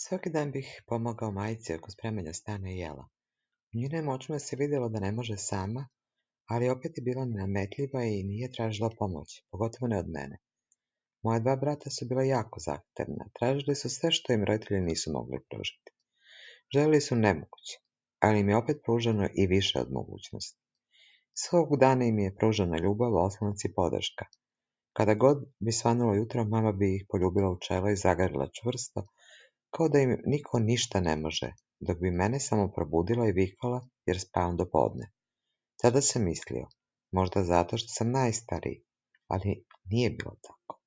Svaki dan bih pomogao majci oko spremanja stana i jela. U njenim očima se vidjelo da ne može sama, ali opet je bila nametljiva i nije tražila pomoć, pogotovo ne od mene. Moja dva brata su bila jako zahtevna, tražili su sve što im roditelji nisu mogli pružiti. Želeli su nemoguće, ali im je opet pruženo i više od mogućnosti. Svakog dana im je pružena ljubav, oslonac i podrška. Kada god bi svanulo jutro, mama bi ih poljubila u čelo i zagrlila čvrsto, kao da im niko ništa ne može, dok bi mene samo probudila i vikala jer spavam do podne. Tada sam mislio, možda zato što sam najstariji, ali nije bilo tako.